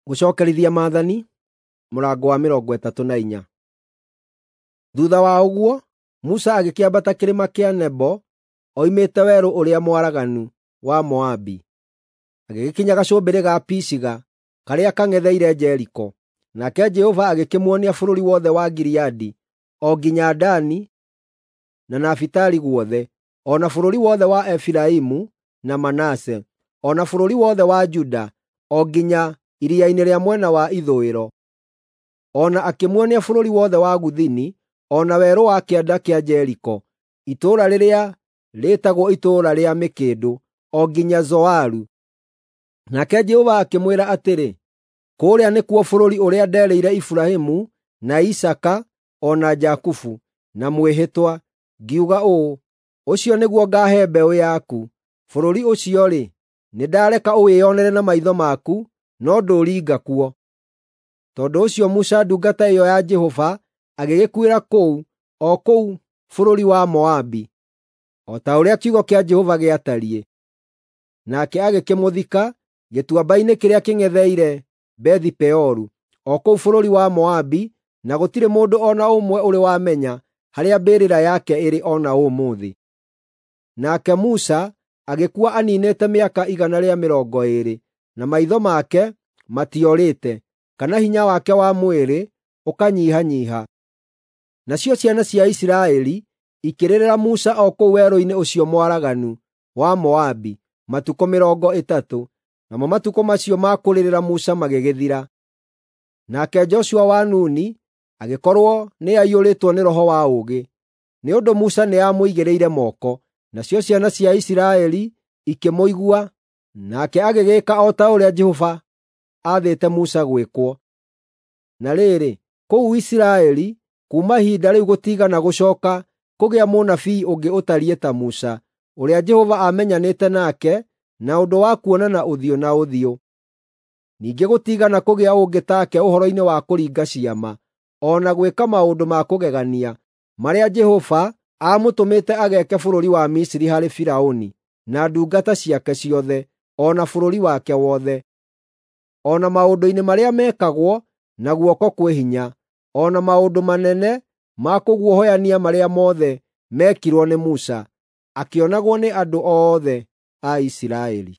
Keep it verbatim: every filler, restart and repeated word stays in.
Gũcokerithia Maathani, mũrango wa mĩrongo ĩtatũ na inya. Thuutha wa ũguo, Musa agĩkĩambata kĩrĩma kĩa Nebo oimĩte werũ ũrĩa mwaraganu wa Moabi, agĩgĩkinya gacũmbĩrĩ ga Pisiga karĩa kang'etheire Jeriko. Nake Jehova agĩkĩmuonia bũrũri wothe wa Gileadi, o nginya Dani na Nafitali guothe, o na bũrũri wothe wa Efiraimu na Manase, o na bũrũri wothe wa Juda, o nginya iria-inĩ rĩa mwena wa ithũĩro. O na akĩmuonia bũrũri wothe wa Gũthini, o na werũ wa kĩanda kĩa Jeriko, itũũra rĩrĩa rĩĩtagwo Itũũra rĩa Mĩkĩndũ, o nginya Zoaru. Nake Jehova akĩmwĩra atĩrĩ, “Kũũrĩa nĩkuo bũrũri ũrĩa nderĩire Iburahĩmu, na Isaaka, o na Jakubu na mwĩhĩtwa, ngiuga ũũ, ‘Ũcio nĩguo ngaahe mbeũ yaku.’ Bũrũri ũcio-rĩ, nĩndareka ũwĩonere na maitho maku, no ndũringa kuo.” Tondũ ũcio Musa ndungata ĩyo ya Jehova agĩgĩkuĩra kũu, o kũu bũrũri wa Moabi, o ta ũrĩa kiugo kĩa Jehova gĩatariĩ. Nake agĩkĩmũthika gĩtuamba-inĩ kĩrĩa kĩng'etheire Bethi-Peoru, o kũu bũrũri wa Moabi, na gũtirĩ mũndũ o na ũmwe ũrĩ wamenya harĩa mbĩrĩra yake ĩrĩ o na ũmũthĩ. Nake Musa agĩkua aniinĩte mĩaka igana rĩa mĩrongo ĩĩrĩ, na maitho make matiorĩte, kana hinya wake wa mwĩrĩ ũkanyihanyiiha. Nacio ciana cia Isiraeli ikĩrĩrĩra Musa o kũu werũ-inĩ ũcio mwaraganu wa Moabi matukũ mĩrongo ĩtatũ, namo matukũ macio ma kũrĩrĩra Musa magĩgĩthira. Nake Joshua wa Nuni agĩkorwo nĩaiyũrĩtwo nĩ roho wa ũũgĩ, nĩ ũndũ Musa nĩamũigĩrĩire moko. Nacio ciana cia Isiraeli ikĩmũigua, nake agĩgĩĩka o ta ũrĩa Jehova aathĩte Musa gwĩkwo. Na rĩrĩ, kũu Isiraeli, kuuma ihinda rĩu gũtiigana gũcooka kũgĩa mũnabii ũngĩ ũtariĩ ta Musa, ũrĩa Jehova aamenyanĩte nake na ũndũ wa kuonana ũthiũ na ũthiũ. Ningĩ gũtiigana kũgĩa ũngĩ take ũhoro-inĩ wa kũringa ciama, o na gwĩka maũndũ ma kũgegania, marĩa Jehova aamũtũmĩte ageeke bũrũri wa Misiri harĩ Firaũni na ndungata ciake ciothe, o na bũrũri wake wothe, o na maũndũ-inĩ marĩa mekagwo na guoko kwĩ hinya, o na maũndũ manene ma kũguoyohania marĩa mothe meekirwo nĩ Musa, akĩonagwo nĩ andũ othe a Isiraeli.